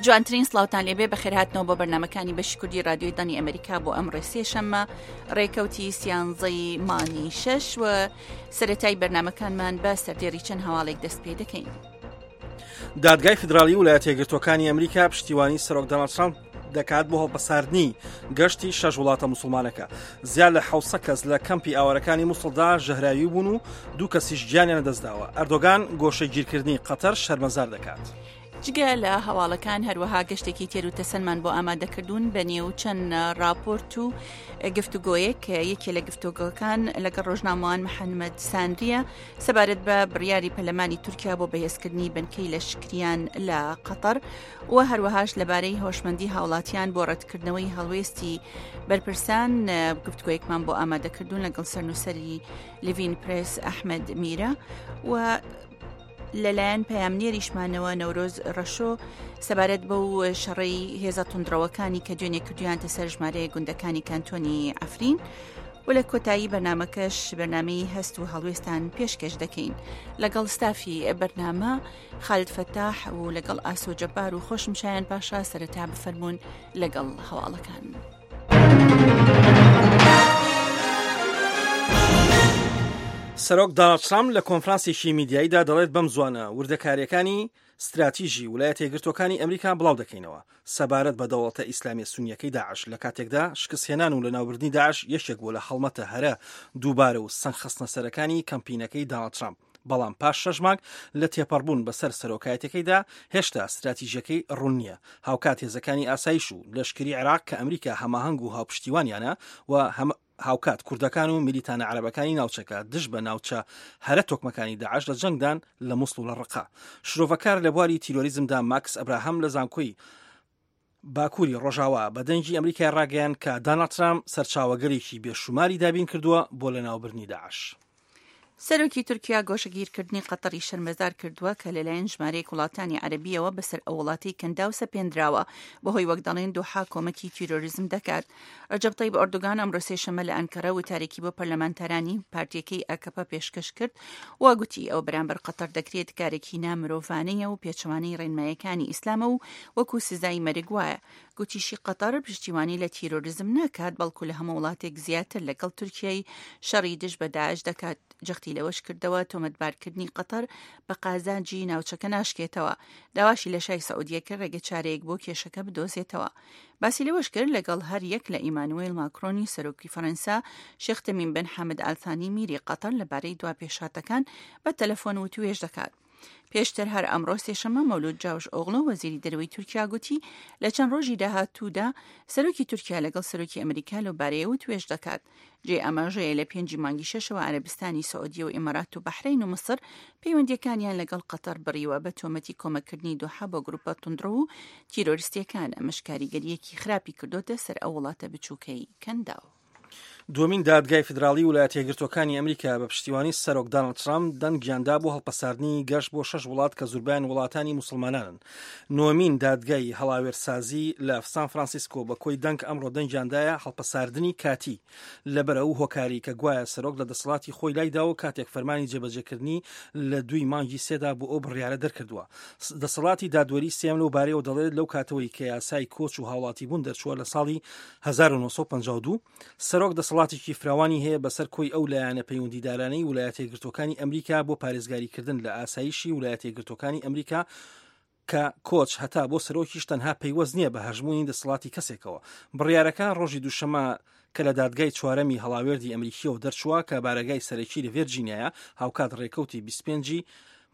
جوانترین سڵاوتان لێبێ بەخێرهاتنەوە بۆ بەرنمەکانی بەشی کوردی رادیۆی دەنگی ئەمریکا بۆ ئەمڕۆ سێشەممە ڕێکەوتی سیانزەی مانگی شەش و سەتای بەرنمەکانمان بە سەردێری چەند هەواڵێک دەست پێ دەکەین. دادگای فیدراڵی ولایەتە یەکگرتووەکانی ئەمریکا پشتیوانی سەرۆک دۆناڵد ترامپ دەکات بۆ هەڵپەساردنی گەشتی شەش وڵاتە موسڵمانەکە. زیاد لە 700 کەس لە کەمپی ئاوارەکانی موسڵدا ژەهراوی بوون و دوو کەسیش گیانیان لەدەستداوە. ئەردۆگان گۆشەگیرکردنی قەتەر شەرمەزار دەکات. جگە لە هەواڵەکان هەروەها گەشتێکی تێر و تەسەلمان بۆ ئامادەکردوون بە نێو چەند راپۆرت و گفتوگۆیەک یەکێ لە گفتوگۆکان لەگەڵ ڕۆژنامەوان محەممەد سانریە سەبارەت بە بڕیاری پەرلەمانی تورکیا بۆ بەهێزکردنی بنکەی لەشکریان لە قەتەر و هەروەهاش لەبارەی هۆشمەندی هاوڵاتیان بۆ ڕەتکردنەوەی هەڵوێستی بەرپرسان گفتوگۆیەکمان بۆ ئامادەکردوون لەگەڵ سەرنووسەری لڤین پرێس ئەحمەد میرە و لەلایەن پەیامنێریشمانەوە نەورۆز ڕەشۆ سەبارەت بەو شەڕەی هێزە توندڕەوەکانی کە دوێنێ کردویانتە سەر ژمارەیە گوندەکانی کانتۆنی عەفرین و لە کۆتایی بەرنمەکەش بەرنمەی هەست و هەڵوێستان پێشکەش دەکەین لەگەڵ ستافی بەرنامە خالد فەتاح و لەگەڵ ئاسۆ جەبار و خۆشم شایان پاشا سەرەتا بفەرمونون لەگەڵ هەواڵەکان. سەرۆک داناڵد ترامپ لە کۆنفرانسێکی میدیاییدا دەڵێت بەم زوانە وردەکارییەکانی ستراتیژی ولایەتە یەکگرتووەکانی ئەمریکا بڵاو دەکەینەوە سەبارەت بە دەوڵەتە ئیسلامیە سونیەکەی داعش لە کاتێکدا شکستهێنان و لەناوبردنی داعش یەکێک بووە لە هەڵمەتە هەرە دووبارە و سەنگخستنەسەرەکانی کەمپینەکەی داناڵد ترامپ بەڵام پاش شەش مانگ لە تێپەڕبوون بەسەر سەرۆکایەتەکەیدا هێشتا ستراتیژیەکەی ڕوون نییە هاوکات هێزەکانی ئاسایش و لەشکری عێراق کە ئەمریکا هەماهەنگ و هاوپشتیوانیانە و هاوکات کوردەکان و میلیتانە عەرەبەکانی ناوچەکە دژ بە ناوچە هەرە تۆکمەکانی داعش لە جەنگدان لە موسڵ و لە ڕقە. شرۆڤەکار لە بواری تیرۆریزمدا ماکس ئەبراهام لە زانکۆی باکووری ڕۆژاوا بە دەنگی ئەمریکای ڕاگەیاند کە داناڵد ترامپ سەرچاوەگەلێکی بێشوماری دابین کردووە بۆ لەناوبردنی داعش. سەرۆکی تورکیا گۆشەگیرکردنی قەتەری شەرمەزار کردووە کە لەلایەن ژمارەیەک وڵاتانی عەرەبییەوە بەسەر ئەو وڵاتەی کەنداو سەپێندراوە بەهۆی وەک دەڵێن دۆحا کۆمەکی تیرۆریزم دەکات. رەجەب تەیب ئەردۆگان ئەمڕۆ سێشەممە لە ئەنکەرە وتارێکی بۆ پەرلەمانتارانی پارتیەکەی ئاکەپە پێشکەش کرد و گوتی ئەو بەرامبەر قەتەر دەکرێت کارێکی نامرۆڤانەیە و پێچەوانەی ڕێنمایەکانی ئیسلامە و وەکو سزای مەرگ وایە. گوتیشی قەتەر پشتیوانی لە تیرۆریزم ناکات، بەڵکو لە هەموو وڵاتێک زیاتر لەگەڵ تورکیای شەڕی دژ بە داعش دەکات. جەختی لەوەش کردەوە تۆمەتبارکردنی قەتەر بە قازانجی ناوچەکە ناشکێتەوە. داواشی لە شای سعودیە کرد ڕێگەچارەیەک بۆ کێشەکە بدۆزێتەوە. باسی لەوەش کرد لەگەڵ هەر یەک لە ئیمانوێل ماکرۆنی سەرۆکی فەرەنسا، شێخ تەمیم بن حەمد ئالثانی میری قەتەر لەبارەی دوا پێشهاتەکان بە تەلەفۆن وتوێژ دەکات. پێشتر هەر ئەمڕۆ سێشەممە مەولود جاوش ئۆغڵۆ وەزیری دەرەوەی تورکیا گوتی لە چەند ڕۆژی داهاتوودا سەرۆکی تورکیا لەگەڵ سەرۆکی ئەمریکا لەو بارەیە وتوێژ دەکات. جێی ئاماژەیە لە پێنجی مانگی شەشەوە عەرەبستانی سعودیە و ئیمارات و بەحرەین و میسر پەیوەندییەکانیان لەگەڵ قەتەر بڕیوە بە تۆمەتی کۆمەککردنی دۆحە بۆ گروپە توندڕەو و تیرۆریستییەکان، ئەمەش کاریگەرییەکی خراپی کردۆتە سەر ئەو وڵاتە بچووکەی کەنداو. دووەمین دادگای فیدراڵی ولایەتە یەکگرتووەکانی ئەمریکا بە پشتیوانی سەرۆک داناڵد ترامپ دەنگیان دا بۆ هەڵپەساردنی گەشت بۆ شەش وڵات کە زوربەیان وڵاتانی موسڵمانانن. نۆمین دادگای هەڵاوێرسازی لە سان فرانسیسکۆ بە کۆی دەنگ ئەمڕۆ دەنگیان دایە هەڵپەساردنی کاتی لەبەر ئەو هۆکاری کە گوایە سەرۆک لە دەسەڵاتی خۆی لایدا و کاتێک فەرمانی جێبەجێکردنی لە دووی مانگی سێدا بۆ ئەو بڕیارە دەرکردووە. دەسەڵاتی دادوەری سێیەم لەو بارەیەوە دەڵێت لەو کاتەوەی کە یاسای کۆچ و هاوڵاتیبوون دەرچووە لە ساڵی 1952 سەرۆک دەسەڵاتێکی فراوانی هەیە بەسەر کۆی ئەو لایەنە پەیوەندیدارانەی ولایەتە یەکگرتووەکانی ئەمریکا بۆ پارێزگاریکردن لە ئاسایشی ولایەتە یەکگرتووەکانی ئەمریکا کە کۆچ هەتا بۆ سەرۆکیش تەنها پەیوەست نییە بە هەژموونی دەسەڵاتی کەسێکەوە. بڕیارەکە ڕۆژی دووشەممە کە لە دادگای چوارەمی هەڵاوێردی ئەمریکییەوە دەرچووە کە بارەگای سەرەکی لە ڤێرجینیایە، هاوکات ڕێکەوتی 25 ی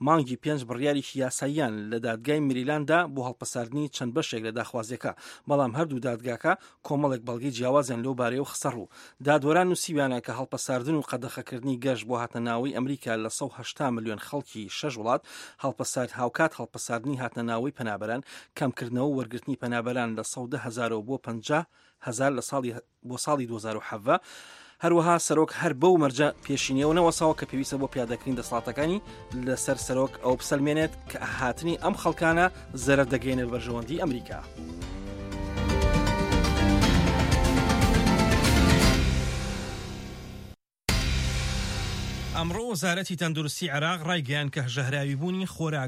مانگی پێنج بڕیارێکی یاساییان لە دادگای مریلاند دا بۆ هەڵپەساردنی چەند بەشێک لە داخوازیەکە، بەڵام هەردوو دادگاکە کۆمەڵێک بەڵگەی جیاوازیان لەو بارەیەوە خستەڕوو. دادوەران نووسیویانە کە هەڵپەساردن و قەدەخەکردنی گەشت بۆ هاتنەناوەی ئەمریکا لە 180 ملیۆن خەڵکی شەش وڵات هەڵپەسارد هاوکات هەڵپەساردنی هاتنەناوەی پەنابەران، کەمکردنەوە و وەرگرتنی پەنابەران لە 110 هەزارەوە بۆ 50 هەزار لە ساڵی بۆ ساڵی 2017، هەروەها سەرۆک هەر بەو مەرجە پێشینەوە نەوەساوە کە پێویستە بۆ پیادەکردنی دەسەڵاتەکانی لەسەر سەرۆک ئەو بسەلمێنێت کە هاتنی ئەم خەڵکانە زەرەر دەگەیەنێت بەرژەوەندی ئەمریکا. ئەمڕۆ وەزارەتی تەندروستی عێراق ڕایگەیاند کە ژەهراویبوونی خۆراک بە.